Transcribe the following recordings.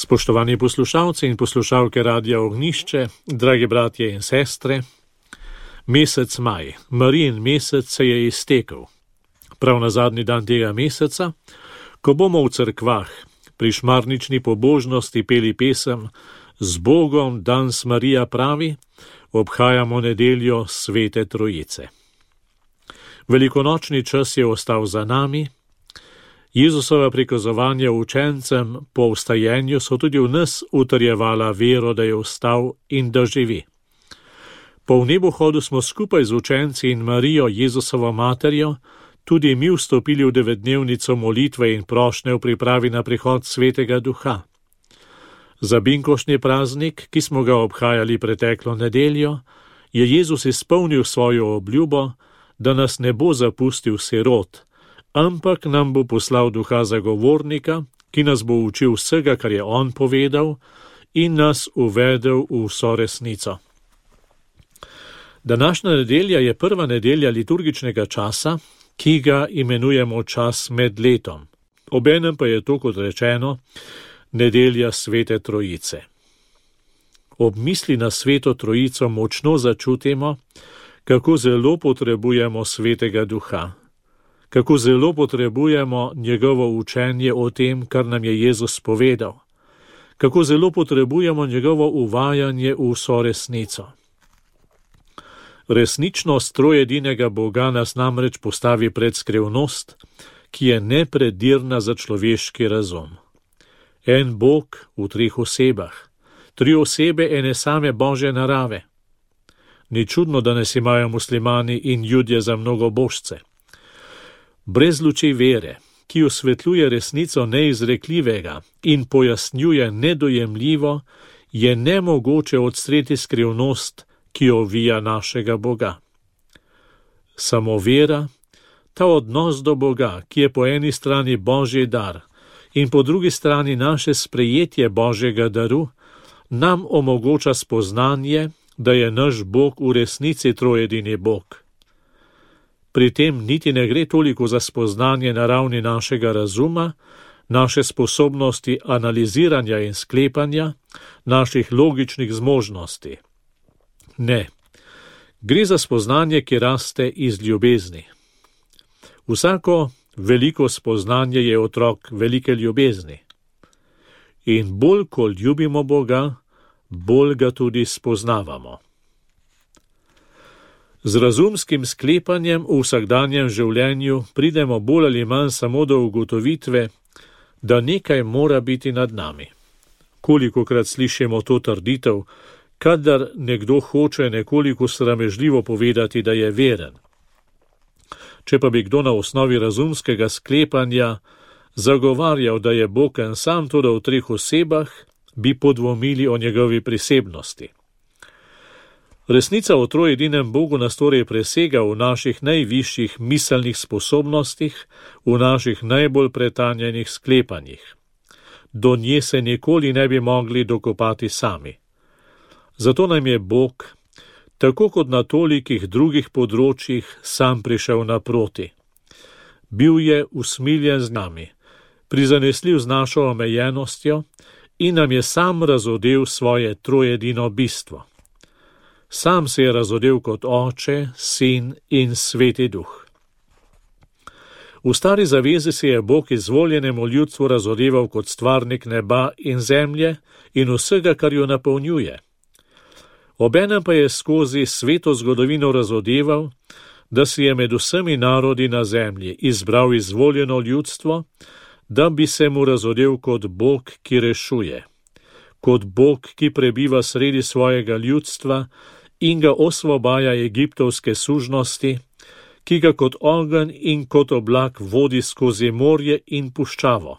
Spoštovani poslušalci in poslušalke Radia Ognjišče, dragi bratje in sestre, mesec maj, Marijin mesec se je iztekel. Prav na zadnji dan tega meseca, ko bomo v cerkvah pri šmarnični pobožnosti peli pesem Z Bogom danes Marija pravi, obhajamo nedeljo Svete Trojice. Velikonočni čas je ostal za nami. Jezusova prikazovanja učencem po vstajenju so tudi v nas utrjevala vero, da je vstal in da živi. Po nebohodu smo skupaj z učenci in Marijo, Jezusovo materjo, tudi mi vstopili v 9-dnevnico molitve in prošnje v pripravi na prihod Svetega Duha. Za binkoštni praznik, ki smo ga obhajali preteklo nedeljo, je Jezus izpolnil svojo obljubo, da nas ne bo zapustil sirot, ampak nam bo poslal Duha zagovornika, ki nas bo učil vsega, kar je on povedal, in nas uvedel v vso resnico. Današnja nedelja je prva nedelja liturgičnega časa, ki ga imenujemo čas med letom. Obenem pa je to, kot rečeno, nedelja Svete Trojice. Ob misli na Sveto Trojico močno začutimo, kako zelo potrebujemo Svetega Duha, kako zelo potrebujemo njegovo učenje o tem, kar nam je Jezus povedal, kako zelo potrebujemo njegovo uvajanje v vso resnico. Resničnost trojedinega Boga nas namreč postavi pred skrivnost, ki je nepredirna za človeški razum. En Bog v 3 osebah, 3 osebe ene same Božje narave. Ni čudno, da nas imajo muslimani in Judje za mnogobožce. Brez luči vere, ki osvetljuje resnico neizrekljivega in pojasnjuje nedojemljivo, je nemogoče odstreti skrivnost, ki ovija našega Boga. Samo vera, ta odnos do Boga, ki je po eni strani Božji dar in po drugi strani naše sprejetje Božjega daru, nam omogoča spoznanje, da je naš Bog v resnici trojedini Bog. Pri tem niti ne gre toliko za spoznanje na ravni našega razuma, naše sposobnosti analiziranja in sklepanja, naših logičnih zmožnosti. Ne, gre za spoznanje, ki raste iz ljubezni. Vsako veliko spoznanje je otrok velike ljubezni. In bolj, ko ljubimo Boga, bolj ga tudi spoznavamo. Z razumskim sklepanjem v vsakdanjem življenju pridemo bolj ali manj samo do ugotovitve, da nekaj mora biti nad nami. Kolikokrat slišimo to trditev, kadar nekdo hoče nekoliko sramežljivo povedati, da je veren. Če pa bi kdo na osnovi razumskega sklepanja zagovarjal, da je Bog en sam, toda v 3 osebah, bi podvomili o njegovi prisebnosti. Resnica o trojedinem Bogu nas torej presega v naših najvišjih miselnih sposobnostih, v naših najbolj pretanjenih sklepanjih. Do nje se nikoli ne bi mogli dokopati sami. Zato nam je Bog, tako kot na tolikih drugih področjih, sam prišel naproti. Bil je usmiljen z nami, prizanesljiv z našo omejenostjo in nam je sam razodel svoje trojedino bistvo. Sam se je razodel kot Oče, Sin in Sveti Duh. V Stari zavezi se je Bog izvoljenemu ljudstvu razodeval kot stvarnik neba in zemlje in vsega, kar jo napolnjuje. Obenem pa je skozi sveto zgodovino razodeval, da si je med vsemi narodi na zemlji izbral izvoljeno ljudstvo, da bi se mu razodel kot Bog, ki rešuje, kot Bog, ki prebiva sredi svojega ljudstva in ga osvobaja egiptovske sužnosti, ki ga kot ogenj in kot oblak vodi skozi morje in puščavo,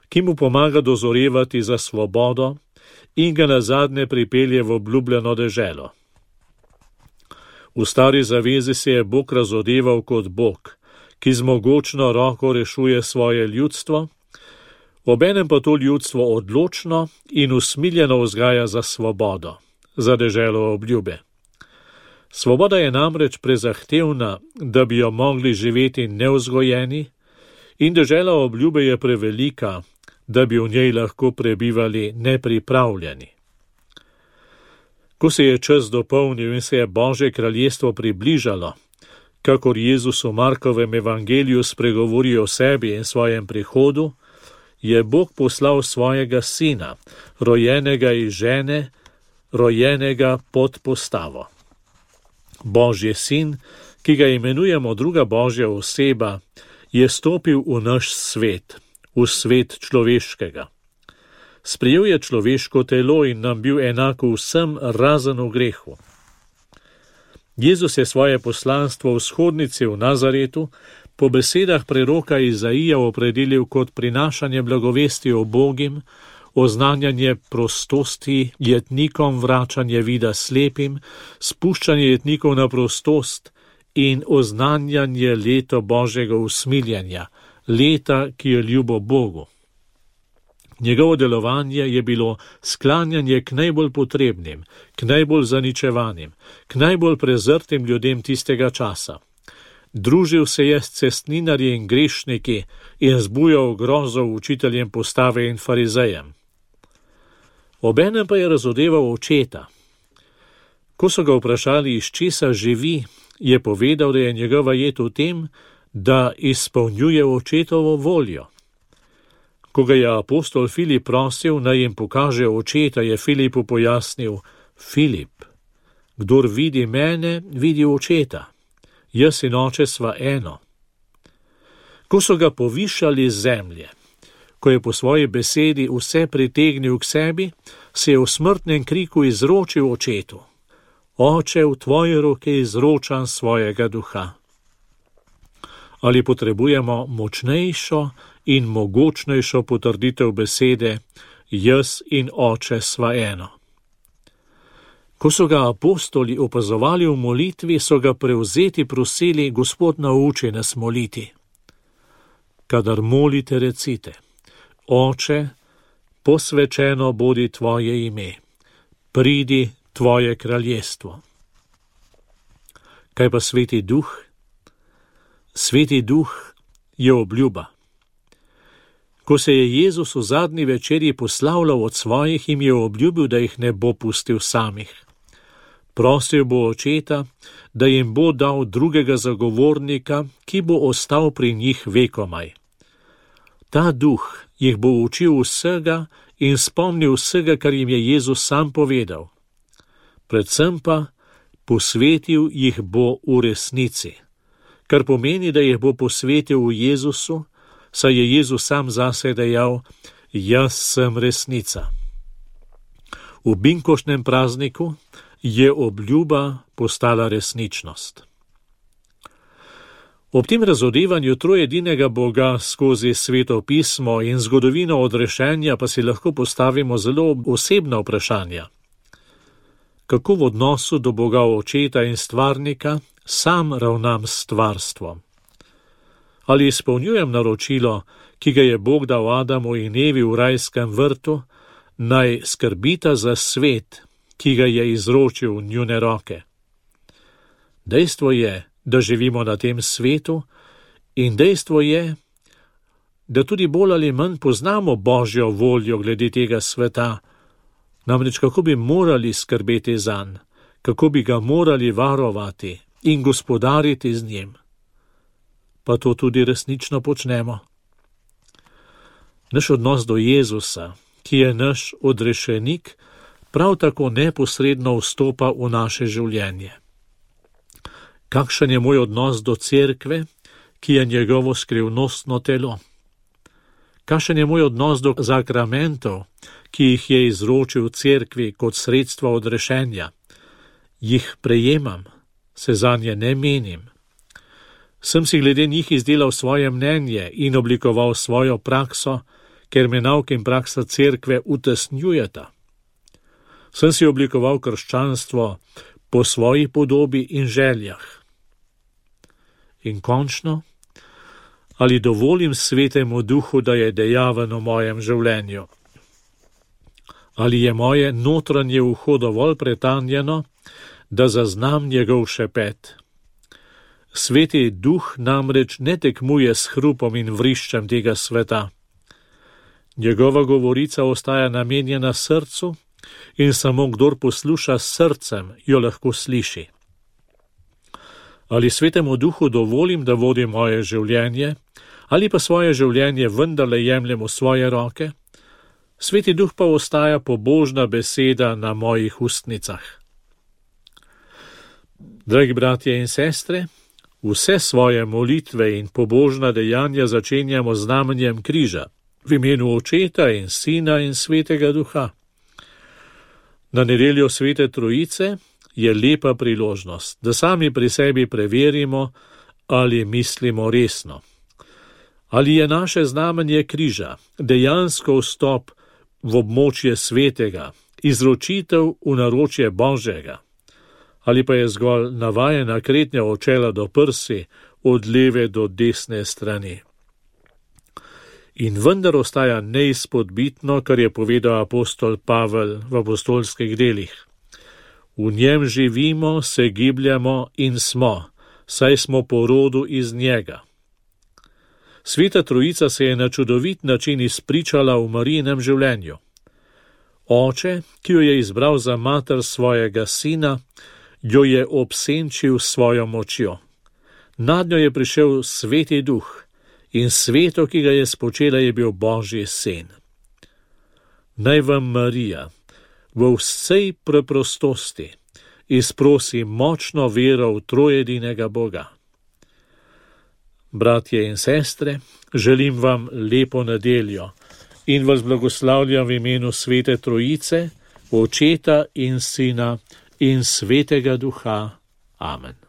ki mu pomaga dozorevati za svobodo in ga nazadnje pripelje v obljubljeno deželo. V Stari zavezi se je Bog razodeval kot Bog, ki z mogočno roko rešuje svoje ljudstvo, obenem pa to ljudstvo odločno in usmiljeno vzgaja za svobodo, za deželo obljube. Svoboda je namreč prezahtevna, da bi jo mogli živeti nevzgojeni, in dežela obljube je prevelika, da bi v njej lahko prebivali nepripravljeni. Ko se je čas dopolnil in se je Božje kraljestvo približalo, kakor Jezus v Markovem evangeliju spregovori o sebi in svojem prihodu, je Bog poslal svojega sina, rojenega iz žene, rojenega pod postavo. Božji sin, ki ga imenujemo druga Božja oseba, je stopil v naš svet, v svet človeškega. Sprejel je človeško telo in nam bil enako vsem razen v grehu. Jezus je svoje poslanstvo v shodnici v Nazaretu po besedah preroka Izaija opredelil kot prinašanje blagovesti o Bogim, oznanjanje prostosti jetnikom, vračanje vida slepim, spuščanje jetnikov na prostost in oznanjanje leta Božjega usmiljanja, leta, ki je ljubo Bogu. Njegovo delovanje je bilo sklanjanje k najbolj potrebnim, k najbolj zaničevanim, k najbolj prezrtim ljudem tistega časa. Družil se je s cestninarji in grešniki in zbujal grozo učiteljem postave in farizejem. Obenem pa je razodeval očeta. Ko so ga vprašali, iz česa živi, je povedal, da je njegova jed v tem, da izpolnjuje očetovo voljo. Ko ga je apostol Filip prosil, naj jim pokaže očeta, je Filipu pojasnil: Filip, kdor vidi mene, vidi očeta. Jaz in oče sva eno. Ko so ga povišali z zemlje, ko je po svoji besedi vse pritegnil k sebi, se je v smrtnem kriku izročil očetu: Oče, v tvoje roke izročam svojega duha. Ali potrebujemo močnejšo in mogočnejšo potrditev besede: Jaz in oče sva eno? Ko so ga apostoli opazovali v molitvi, so ga prevzeti prosili: Gospod, nauči nas moliti. Kadar molite, recite: Oče, posvečeno bodi tvoje ime, pridi tvoje kraljestvo. Kaj pa Sveti Duh? Sveti Duh je obljuba. Ko se je Jezus v zadnji večerji poslavljal od svojih, jim je obljubil, da jih ne bo pustil samih. Prosil bo očeta, da jim bo dal drugega zagovornika, ki bo ostal pri njih vekomaj. Ta duh jih bo učil vsega in spomnil vsega, kar jim je Jezus sam povedal. Predvsem pa posvetil jih bo v resnici, kar pomeni, da jih bo posvetil v Jezusu, saj je Jezus sam zase dejal: Jaz sem resnica. V binkoštnem prazniku je obljuba postala resničnost. Ob tem razodevanju trojedinega Boga skozi Sveto pismo in zgodovino odrešenja pa si lahko postavimo zelo osebna vprašanja. Kako v odnosu do Boga Očeta in Stvarnika sam ravnam s stvarstvom? Ali izpolnjujem naročilo, ki ga je Bog dal Adamu in Evi v rajskem vrtu, naj skrbita za svet, ki ga je izročil v njune roke? Dejstvo je, da živimo na tem svetu, in dejstvo je, da tudi bolj ali manj poznamo Božjo voljo glede tega sveta, namreč kako bi morali skrbeti zanj, kako bi ga morali varovati in gospodariti z njim. Pa to tudi resnično počnemo. Naš odnos do Jezusa, ki je naš odrešenik, prav tako neposredno vstopa v naše življenje. Kakšen je moj odnos do cerkve, ki je njegovo skrivnostno telo? Kakšen je moj odnos do zakramentov, ki jih je izročil cerkvi kot sredstva odrešenja? Jih prejemam, se zanje ne menim. Sem si glede njih izdelal svoje mnenje in oblikoval svojo prakso, ker me nauk in praksa cerkve utesnjujeta. Sem si oblikoval krščanstvo po svoji podobi in željah. In končno, ali dovolim Svetemu Duhu, da je dejaven v mojem življenju? Ali je moje notranje uho dovolj pretanjeno, da zaznam njegov šepet? Sveti Duh namreč ne tekmuje s hrupom in vriščem tega sveta. Njegova govorica ostaja namenjena srcu in samo kdor posluša s srcem, jo lahko sliši. Ali Svetemu Duhu dovolim, da vodi moje življenje, ali pa svoje življenje vendarle jemljem v svoje roke? Sveti Duh pa ostaja pobožna beseda na mojih ustnicah. Dragi bratje in sestre, vse svoje molitve in pobožna dejanja začenjamo z znamenjem križa, v imenu Očeta in Sina in Svetega Duha. Na nedeljo Svete Trojice je lepa priložnost, da sami pri sebi preverimo, ali mislimo resno. Ali je naše znamenje križa dejansko vstop v območje svetega, izročitev v naročje Božjega, ali pa je zgolj navajena kretnja od čela do prsi, od leve do desne strani. In vendar ostaja neizpodbitno, kar je povedal apostol Pavel v apostolskih delih. V njem živimo, se gibljamo in smo, saj smo po rodu iz njega. Sveta Trojica se je na čudovit način izpričala v Marijinem življenju. Oče, ki jo je izbral za mater svojega sina, jo je obsenčil svojo močjo. Nad njo je prišel Sveti Duh in sveto, ki ga je spočela, je bil Božji sin. Naj vam Marija v vsej preprostosti izprosi močno vero v trojedinega Boga. Bratje in sestre, želim vam lepo nedeljo in vas blagoslavljam v imenu Svete Trojice, Očeta in Sina in Svetega Duha. Amen.